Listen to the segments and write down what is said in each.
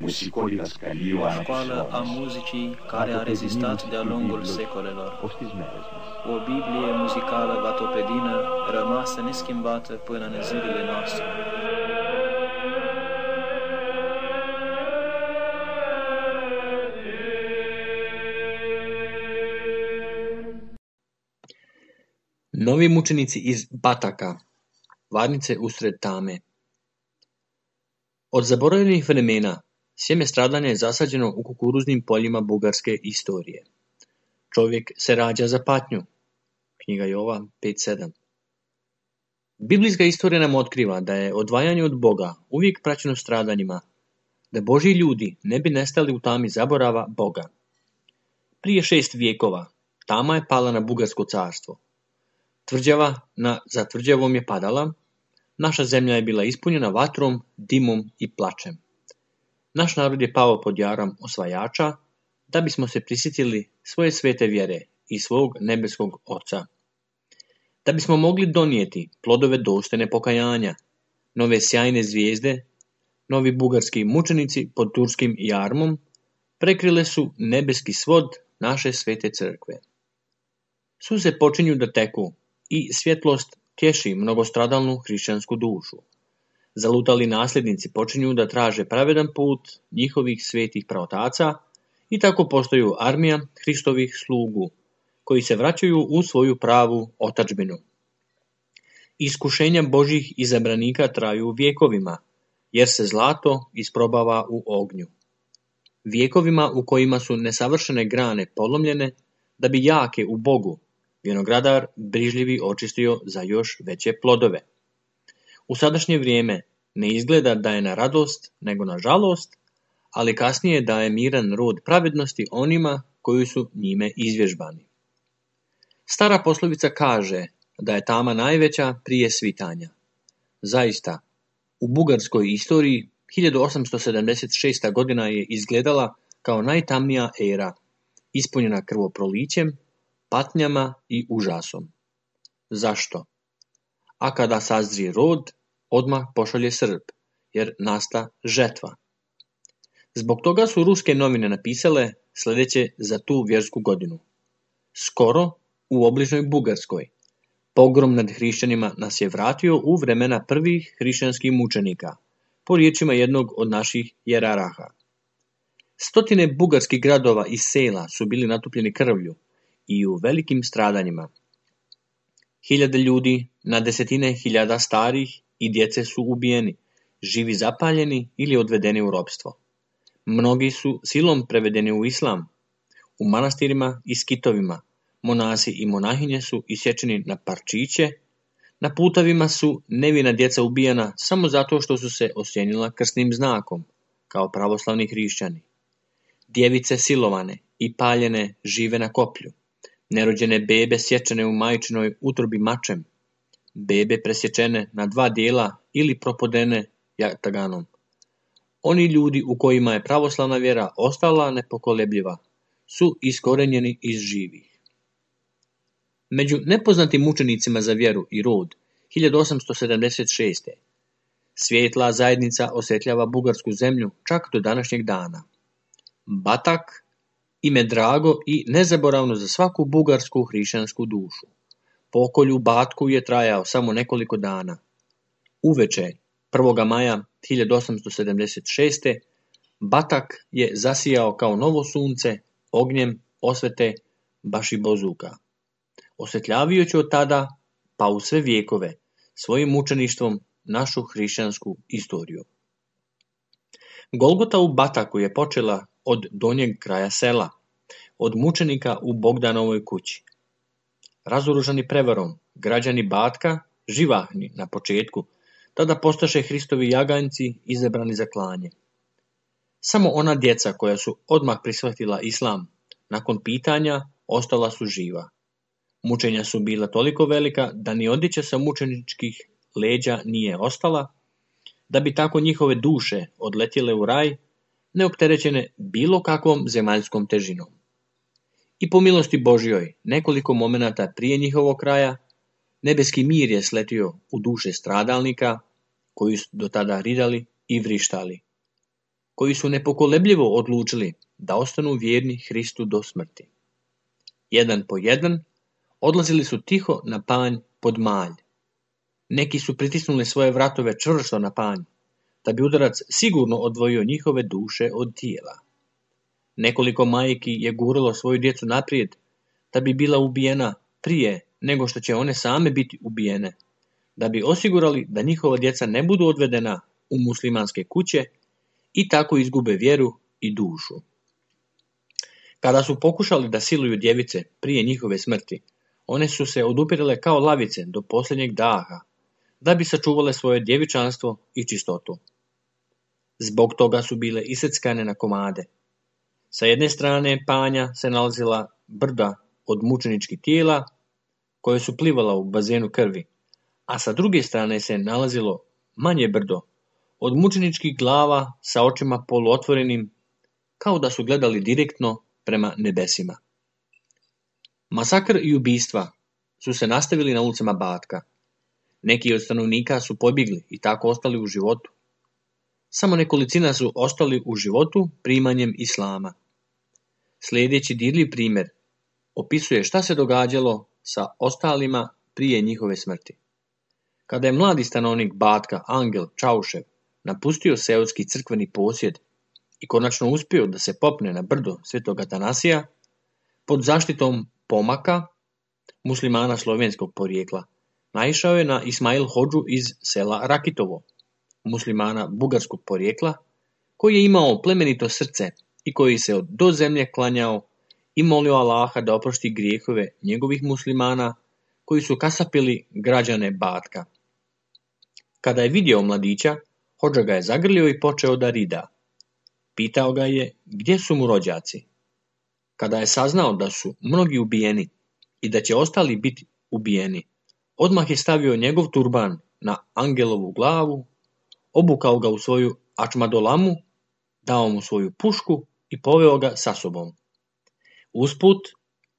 școală a muzicii care a rezistat de-a lungul secolelor. O Biblie muzicală vatopedină rămasă neschimbată până în zilele noastre. Novi mučenici iz Bataka, varnice usred tame. Od zaboravljenih vremena sjeme stradanja je zasađeno u kukuruznim poljima bugarske istorije. Čovjek se rađa za patnju. Knjiga Jova 5.7. Biblijska istorija nam otkriva da je odvajanje od Boga uvijek praćeno stradanjima, da Božji ljudi ne bi nestali u tami zaborava Boga. Prije 6 vijekova tama je pala na Bugarsko carstvo. Tvrđava za tvrđavom je padala, naša zemlja je bila ispunjena vatrom, dimom i plačem. Naš narod je pao pod jaram osvajača, da bismo se prisjetili svoje svete vjere i svog nebeskog Oca. Da bismo mogli donijeti plodove dostojne pokajanja, nove sjajne zvijezde, novi bugarski mučenici pod turskim jarmom prekrile su nebeski svod naše svete crkve. Suze počinju da teku i svjetlost tješi mnogostradalnu hrišćansku dušu. Zalutali nasljednici počinju da traže pravedan put njihovih svetih praotaca i tako postaju armija Hristovih slugu, koji se vraćaju u svoju pravu otadžbinu. Iskušenja Božjih izabranika traju vjekovima, jer se zlato isprobava u ognju. Vjekovima u kojima su nesavršene grane polomljene, da bi jake u Bogu vinogradar brižljivi očistio za još veće plodove. U sadašnje vrijeme ne izgleda da je na radost, nego na žalost, ali kasnije daje miran rod pravednosti onima koji su njime izvježbani. Stara poslovica kaže da je tama najveća prije svitanja. Zaista, u bugarskoj istoriji 1876. godina je izgledala kao najtamnija era, ispunjena krvoprolićem, patnjama i užasom. Zašto? A kada sazri rod, odmah pošalje srp, jer nasta žetva. Zbog toga su ruske novine napisale sljedeće za tu vjersku godinu. Skoro, u obližnjoj Bugarskoj, pogrom nad hrišćanima nas je vratio u vremena prvih hrišćanskih mučenika, po riječima jednog od naših jeraraha. Stotine bugarskih gradova i sela su bili natupljeni krvlju i u velikim stradanjima. Hiljade ljudi, na desetine hiljada starih i djece su ubijeni, živi zapaljeni ili odvedeni u ropstvo. Mnogi su silom prevedeni u islam. U manastirima i skitovima monasi i monahinje su isječeni na parčiće, na putavima su nevina djeca ubijana samo zato što su se osjenila krsnim znakom, kao pravoslavni hrišćani. Djevice silovane i paljene žive na koplju. Nerođene bebe sječene u majčinoj utrobi mačem, bebe presječene na 2 dijela ili propodene jataganom. Oni ljudi u kojima je pravoslavna vjera ostala nepokolebljiva su iskorenjeni iz živih. Među nepoznatim mučenicima za vjeru i rod 1876. svijetla zajednica osjetljava bugarsku zemlju čak do današnjeg dana. Batak, ime drago i nezaboravno za svaku bugarsku hrišćansku dušu. Pokolj u Batku je trajao samo nekoliko dana. Uveče 1. maja 1876. Batak je zasijao kao novo sunce ognjem osvete Bašibozuka, osvjetljavajući od tada pa u sve vijekove svojim mučeništvom našu hrišćansku istoriju. Golgota u Bataku je počela od donjeg kraja sela, od mučenika u Bogdanovoj kući. Razoružani prevarom, građani Batka, živahni na početku, tada postaše Hristovi jaganjci izabrani za klanje. Samo ona djeca koja su odmah prihvatila islam, nakon pitanja, ostala su živa. Mučenja su bila toliko velika da ni odjeća sa mučeničkih leđa nije ostala, da bi tako njihove duše odletjele u raj, neopterećene bilo kakvom zemaljskom težinom. I po milosti Božjoj, nekoliko momenata prije njihovog kraja, nebeski mir je sletio u duše stradalnika, koji su do tada ridali i vrištali. koji su nepokolebljivo odlučili da ostanu vjerni Hristu do smrti. Jedan po jedan odlazili su tiho na panj pod malj. Neki su pritisnuli svoje vratove čvrsto na panj, da bi udarac sigurno odvojio njihove duše od tijela. Nekoliko majki je guralo svoju djecu naprijed, da bi bila ubijena prije nego što će one same biti ubijene, da bi osigurali da njihova djeca ne budu odvedena u muslimanske kuće i tako izgube vjeru i dušu. Kada su pokušali da siluju djevice prije njihove smrti, one su se odupirale kao lavice do posljednjeg daha, da bi sačuvale svoje djevičanstvo i čistotu. Zbog toga su bile iseckane na komade. Sa jedne strane panja se nalazila brda od mučeničkih tijela, koje su plivala u bazenu krvi, a sa druge strane se nalazilo manje brdo od mučeničkih glava sa očima poluotvorenim, kao da su gledali direktno prema nebesima. Masakr i ubistva su se nastavili na ulicama Batka. Neki od stanovnika su pobjegli i tako ostali u životu. Samo nekolicina su ostali u životu primanjem islama. Sljedeći dirljiv primjer opisuje šta se događalo sa ostalima prije njihove smrti. Kada je mladi stanovnik Batka Angel Čaušev napustio seoski crkveni posjed i konačno uspio da se popne na brdo Svetog Atanasija, pod zaštitom pomaka muslimana slovenskog porijekla, naišao je na Ismail Hodžu iz sela Rakitovo, muslimana bugarskog porijekla, koji je imao plemenito srce i koji se do zemlje klanjao i molio Allaha da oprosti grijehove njegovih muslimana koji su kasapili građane Batka. Kada je vidio mladića, Hodža ga je zagrlio i počeo da rida. Pitao ga je gdje su mu rođaci. Kada je saznao da su mnogi ubijeni i da će ostali biti ubijeni, odmah je stavio njegov turban na Angelovu glavu, obukao ga u svoju ačmadolamu, dao mu svoju pušku i poveo ga sa sobom. Usput,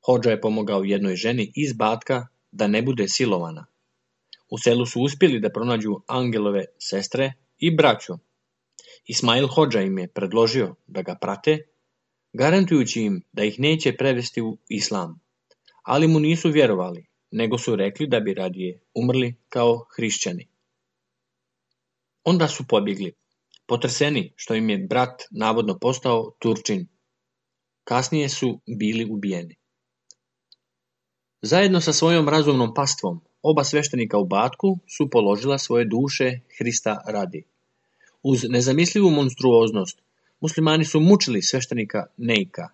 Hodža je pomogao jednoj ženi iz Batka da ne bude silovana. U selu su uspjeli da pronađu Angelove sestre i braću. Ismail Hodža im je predložio da ga prate, garantujući im da ih neće prevesti u islam, ali mu nisu vjerovali, nego su rekli da bi radije umrli kao hrišćani. Onda su pobjegli, potreseni što im je brat navodno postao Turčin. Kasnije su bili ubijeni. Zajedno sa svojom razumnom pastvom, oba sveštenika u Batku su položila svoje duše Hrista radi. Uz nezamislivu monstruoznost, muslimani su mučili sveštenika Nejka.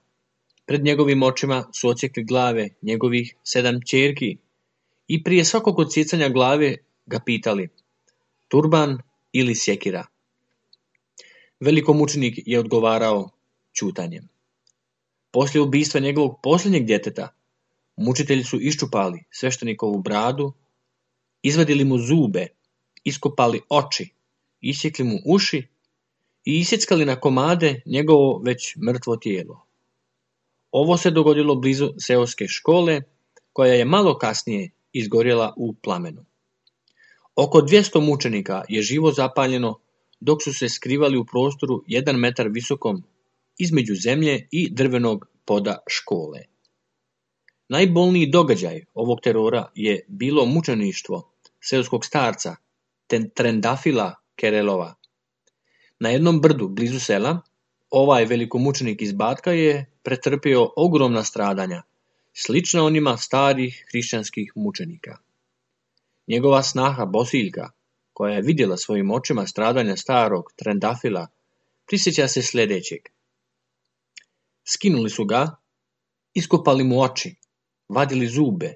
Pred njegovim očima su odsjekli glave njegovih 7 ćerki i prije svakog odsjecanja glave ga pitali: turban ili sjekira? Velikomučenik je odgovarao ćutanjem. Poslije ubistva njegovog posljednjeg djeteta, mučitelji su iščupali sveštenikovu bradu, izvadili mu zube, iskopali oči, isjekli mu uši i isjeckali na komade njegovo već mrtvo tijelo. Ovo se dogodilo blizu seoske škole, koja je malo kasnije izgorjela u plamenu. Oko 200 mučenika je živo zapaljeno, dok su se skrivali u prostoru 1 metar visokom između zemlje i drvenog poda škole. Najbolniji događaj ovog terora je bilo mučeništvo seoskog starca Trendafila Kerelova. Na jednom brdu blizu sela ovaj velikomučenik iz Batka je pretrpio ogromna stradanja, slična onima starih hrišćanskih mučenika. Njegova snaha Bosiljka, koja je vidjela svojim očima stradanja starog Trendafila, prisjeća se sljedećeg. Skinuli su ga, iskopali mu oči, vadili zube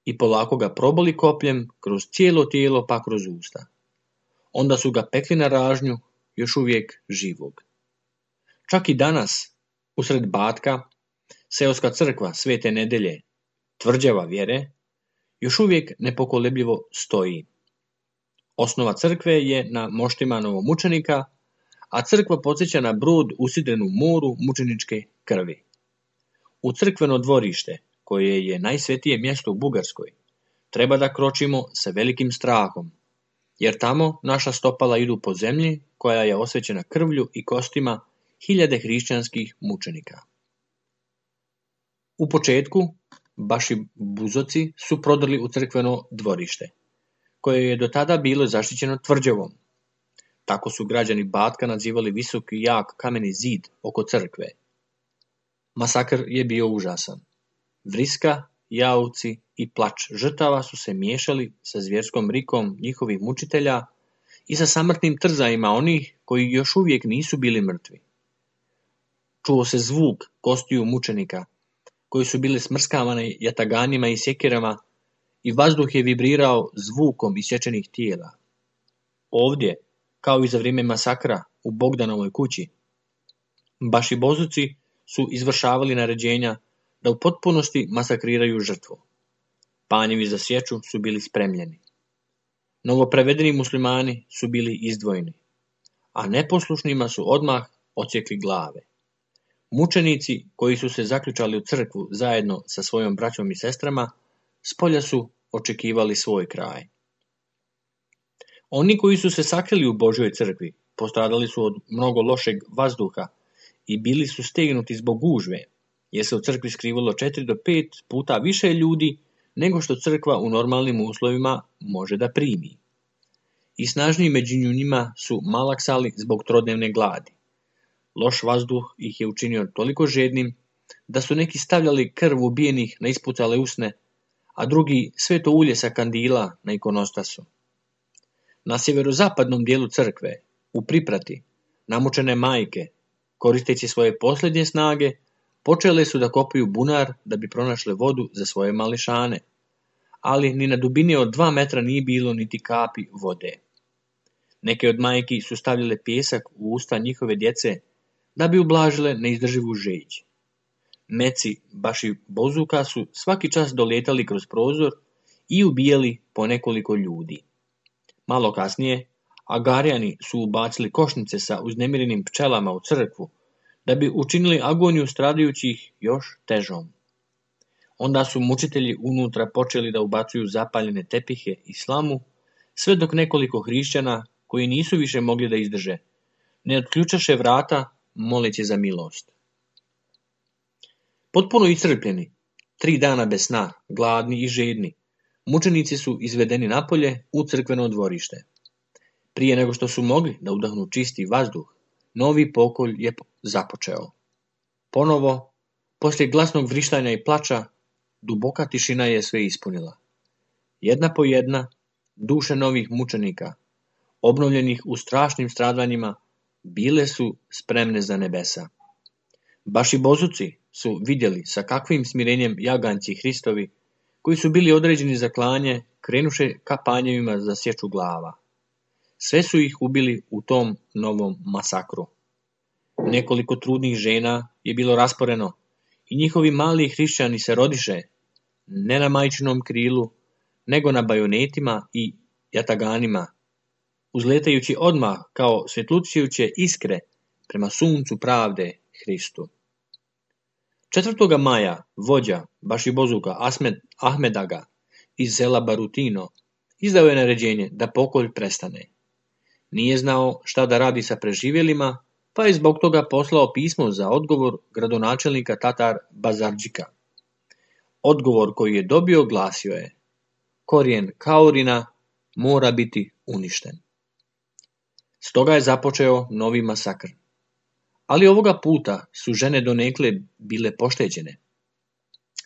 i polako ga probali kopljem kroz cijelo tijelo pa kroz usta. Onda su ga pekli na ražnju, još uvijek živog. Čak i danas, usred Batka, seoska crkva Svete Nedelje, tvrđava vjere, još uvijek nepokolebljivo stoji. Osnova crkve je na moštima novomučenika, a crkva podsjeća na brod usidren u moru mučeničke krvi. U crkveno dvorište, koje je najsvetije mjesto u Bugarskoj, treba da kročimo sa velikim strahom, jer tamo naša stopala idu po zemlji koja je osvećena krvlju i kostima hiljade hrišćanskih mučenika. U početku Bašibuzoci su prodrli u crkveno dvorište, koje je do tada bilo zaštićeno tvrđavom. Tako su građani Batka nazivali visoki jak kameni zid oko crkve. Masakr je bio užasan. Vriska, jauci i plač žrtava su se miješali sa zvjerskom rikom njihovih mučitelja i sa samrtnim trzajima onih koji još uvijek nisu bili mrtvi. Čuo se zvuk kostiju mučenika, koji su bile smrskavane jataganima i sjekirama, i vazduh je vibrirao zvukom isječenih tijela. Ovdje, kao i za vrijeme masakra u Bogdanovoj kući, Bašibozuci su izvršavali naređenja da u potpunosti masakriraju žrtvu. Panjevi za sječu su bili spremljeni. Novoprevedeni muslimani su bili izdvojeni, a neposlušnima su odmah odsjekli glave. Mučenici koji su se zaključali u crkvu zajedno sa svojom braćom i sestrama, spolja su očekivali svoj kraj. Oni koji su se sakrili u Božjoj crkvi postradali su od mnogo lošeg vazduha i bili su stegnuti zbog gužve, jer se u crkvi skrivalo 4 do 5 puta više ljudi nego što crkva u normalnim uslovima može da primi. I snažniji među njima su malaksali zbog trodnevne gladi. Loš vazduh ih je učinio toliko žednim da su neki stavljali krv ubijenih na ispucale usne, a drugi sveto ulje sa kandila na ikonostasu. Na sjeverozapadnom dijelu crkve, u priprati, namučene majke, koristeći svoje posljednje snage, počele su da kopaju bunar da bi pronašle vodu za svoje mališane, ali ni na dubini od 2 metra nije bilo niti kapi vode. Neke od majki su stavljale pijesak u usta njihove djece da bi ublažile neizdrživu žeđ. Meci Bašibozuka su svaki čas doletali kroz prozor i ubijali po nekoliko ljudi. Malo kasnije, Agarijani su ubacili košnice sa uznemirenim pčelama u crkvu da bi učinili agoniju stradajućih još težom. Onda su mučitelji unutra počeli da ubacuju zapaljene tepihe i slamu, sve dok nekoliko hrišćana, koji nisu više mogli da izdrže, ne otključaše vrata moleći za milost. Potpuno iscrpljeni, 3 dana bez sna, gladni i žedni, mučenici su izvedeni napolje u crkveno dvorište. Prije nego što su mogli da udahnu čisti vazduh, novi pokolj je započeo. Ponovo, poslije glasnog vrištanja i plača, duboka tišina je sve ispunila. Jedna po jedna, duše novih mučenika, obnovljenih u strašnim stradanjima, bile su spremne za nebesa. Bašibozuci su vidjeli sa kakvim smirenjem jaganjci Hristovi, koji su bili određeni za klanje, krenuše ka panjevima za sječu glava. Sve su ih ubili u tom novom masakru. Nekoliko trudnih žena je bilo rasporeno i njihovi mali hrišćani se rodiše, ne na majčinom krilu, nego na bajonetima i jataganima, uzletajući odmah kao svjetlučujuće iskre prema suncu pravde Hristu. 4. maja vođa Bašibozuka Ahmedaga iz sela Barutino izdao je naređenje da pokolj prestane. Nije znao šta da radi sa preživjelima, pa je zbog toga poslao pismo za odgovor gradonačelnika Tatar Bazardžika. Odgovor koji je dobio glasio je: korijen Kaurina mora biti uništen. Stoga je započeo novi masakr. Ali ovoga puta su žene donekle bile pošteđene.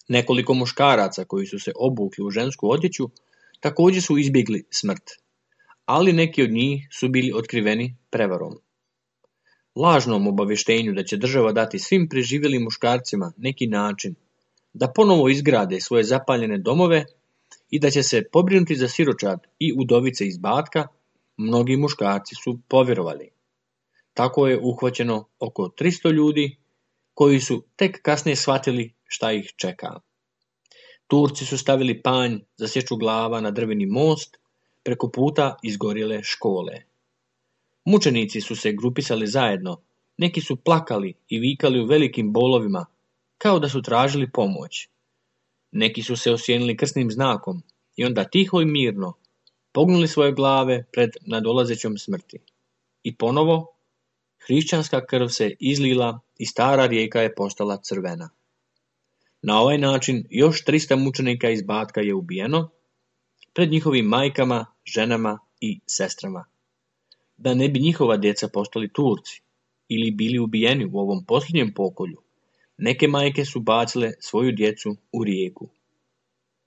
Nekoliko muškaraca koji su se obukli u žensku odjeću također su izbjegli smrt, ali neki od njih su bili otkriveni prevarom. Lažnom obavještenju da će država dati svim preživjelim muškarcima neki način da ponovo izgrade svoje zapaljene domove i da će se pobrinuti za siročad i udovice iz Batka, mnogi muškarci su povjerovali. Tako je uhvaćeno oko 300 ljudi koji su tek kasnije shvatili šta ih čeka. Turci su stavili panj za sječu glava na drveni most preko puta izgorjele škole. Mučenici su se grupisali zajedno, neki su plakali i vikali u velikim bolovima, kao da su tražili pomoć. Neki su se osjenili krsnim znakom i onda tiho i mirno, pognuli svoje glave pred nadolazećom smrti. I ponovo, hrišćanska krv se izlila i stara rijeka je postala crvena. Na ovaj način još 300 mučenika iz Batka je ubijeno pred njihovim majkama, ženama i sestrama. Da ne bi njihova djeca postali Turci ili bili ubijeni u ovom posljednjem pokolju, neke majke su bacile svoju djecu u rijeku.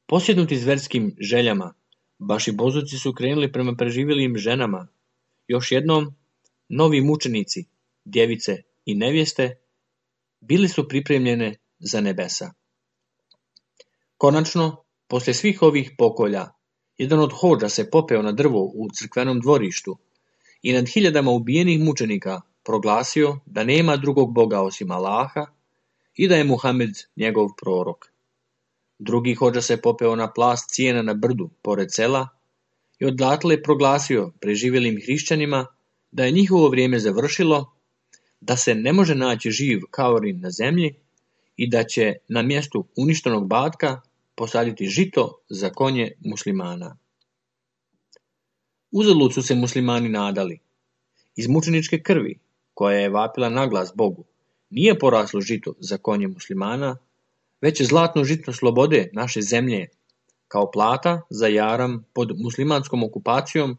Posjednuti zverskim željama, baš i bozuci su krenuli prema preživjelim ženama. Još jednom, novi mučenici, djevice i nevjeste, bili su pripremljene za nebesa. Konačno, poslije svih ovih pokolja, jedan od hodža se popeo na drvo u crkvenom dvorištu i nad hiljadama ubijenih mučenika proglasio da nema drugog Boga osim Allaha i da je Muhammed njegov prorok. Drugi hodža se popeo na plast cijena na brdu pored sela i odatle proglasio preživjelim hrišćanima da je njihovo vrijeme završilo, da se ne može naći živ kaurin na zemlji i da će na mjestu uništenog Batka posaditi žito za konje muslimana. Uzalud su se muslimani nadali. Iz mučeničke krvi, koja je vapila naglas Bogu, nije poraslo žito za konje muslimana, već je zlatno žito slobode naše zemlje, kao plata za jaram pod muslimanskom okupacijom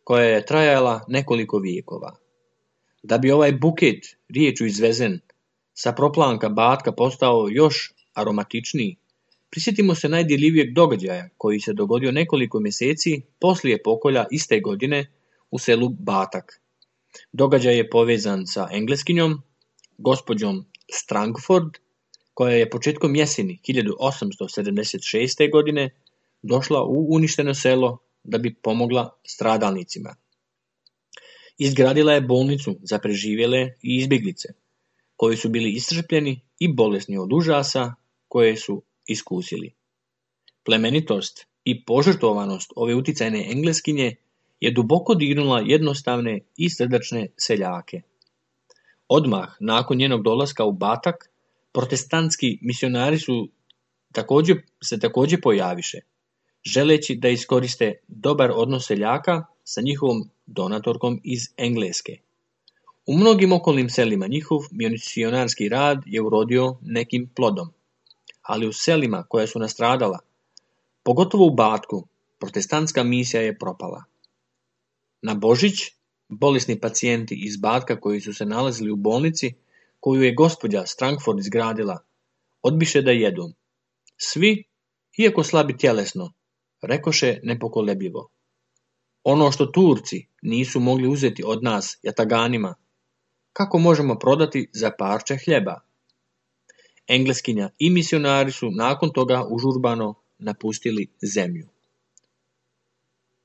koja je trajala nekoliko vijekova. Da bi ovaj buket riječu izvezen sa proplanka Batka postao još aromatičniji, prisjetimo se najdirljivijeg događaja koji se dogodio nekoliko mjeseci poslije pokolja iste godine u selu Batak. Događaj je povezan sa Engleskinjom, gospođom Strangford, koja je početkom jeseni 1876. godine došla u uništeno selo da bi pomogla stradalnicima. Izgradila je bolnicu za preživjele i izbjeglice, koji su bili iscrpljeni i bolesni od užasa koje su iskusili. Plemenitost i požrtvovanost ove uticajne Engleskinje je duboko dirnula jednostavne i srdačne seljake. Odmah nakon njenog dolaska u Batak, protestantski misionari se također pojaviše, želeći da iskoriste dobar odnos seljaka sa njihovom donatorkom iz Engleske. U mnogim okolnim selima njihov misionarski rad je urodio nekim plodom, ali u selima koja su nastradala, pogotovo u Batku, protestantska misija je propala. Na Božić, bolesni pacijenti iz Batka koji su se nalazili u bolnici, koju je gospođa Strangford izgradila, odbiše da jedu. Svi, iako slabi tjelesno, rekoše nepokolebljivo: ono što Turci nisu mogli uzeti od nas jataganima, kako možemo prodati za parče hljeba? Engleskinja i misionari su nakon toga užurbano napustili zemlju.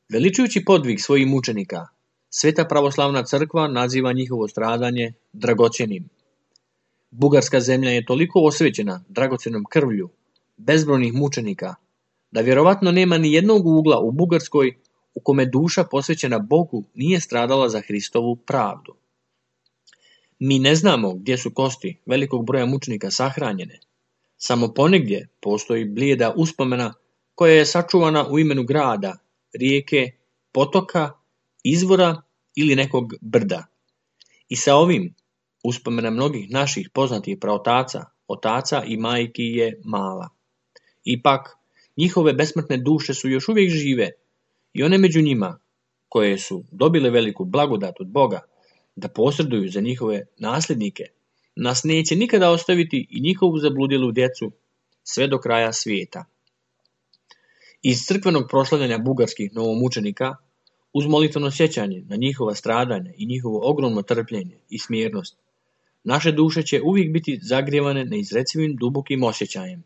Veličujući podvig svojih mučenika, Sveta pravoslavna crkva naziva njihovo stradanje dragocjenim. Bugarska zemlja je toliko osvećena dragocjenom krvlju bezbrojnih mučenika, da vjerovatno nema ni jednog ugla u Bugarskoj u kome duša posvećena Bogu nije stradala za Hristovu pravdu. Mi ne znamo gdje su kosti velikog broja mučenika sahranjene. Samo ponegdje postoji blijeda uspomena koja je sačuvana u imenu grada, rijeke, potoka, izvora ili nekog brda. I sa ovim uspomena mnogih naših poznatih praotaca, otaca i majki je mala. Ipak, njihove besmrtne duše su još uvijek žive i one među njima, koje su dobile veliku blagodat od Boga da posreduju za njihove nasljednike, nas neće nikada ostaviti i njihovu zabludjelu djecu sve do kraja svijeta. Iz crkvenog proslavljanja bugarskih novomučenika, uz molitveno sjećanje na njihova stradanja i njihovo ogromno trpljenje i smjernost, naše duše će uvijek biti zagrijevane neizrecivim dubokim osjećajem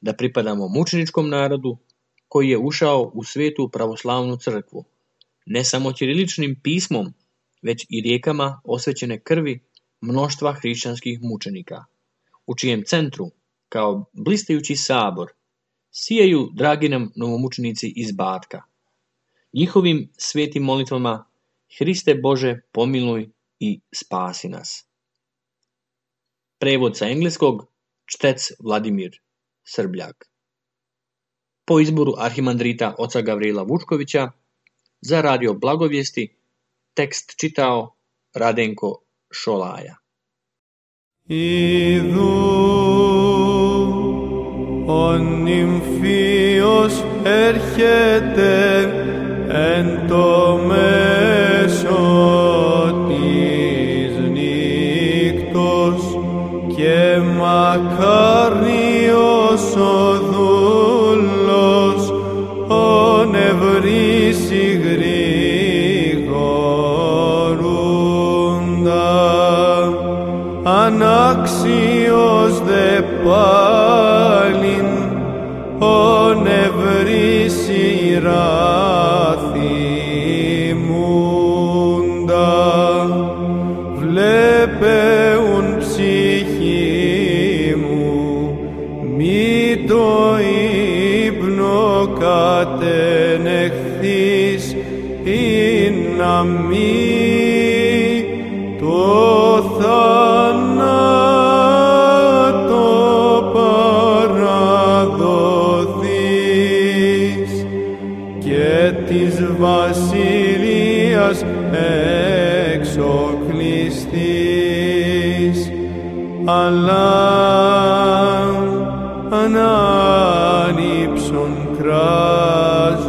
da pripadamo mučeničkom narodu koji je ušao u svetu pravoslavnu crkvu, ne samo ćiriličnim pismom, već i rijekama osvećene krvi mnoštva hrišćanskih mučenika, u čijem centru, kao blistajući sabor, sijaju dragi nam novomučenici iz Batka. Njihovim svetim molitvama: Hriste Bože, pomiluj i spasi nas. Prevod sa engleskog, čtec Vladimir Srbljak. Po izboru arhimandrita oca Gavrila Vučkovića, Za radio Blagovijesti tekst čitao Radenko Šolaja. Idhu ο νυμφίος έρχεται εν το μέσο της νύκτος και μακάριος ο δούλος ο νευρίσει γρήγορούντα ανάξιος δε πάλιν ο νευρίσει ράθιμούντα βλέπεουν ψυχή μου μη το ύπνο κατενεχθείς ή να μη το θάνατο παραδοθείς και της βασιλείας εξοκλειστείς αλλά ανάνυψον κράζουσα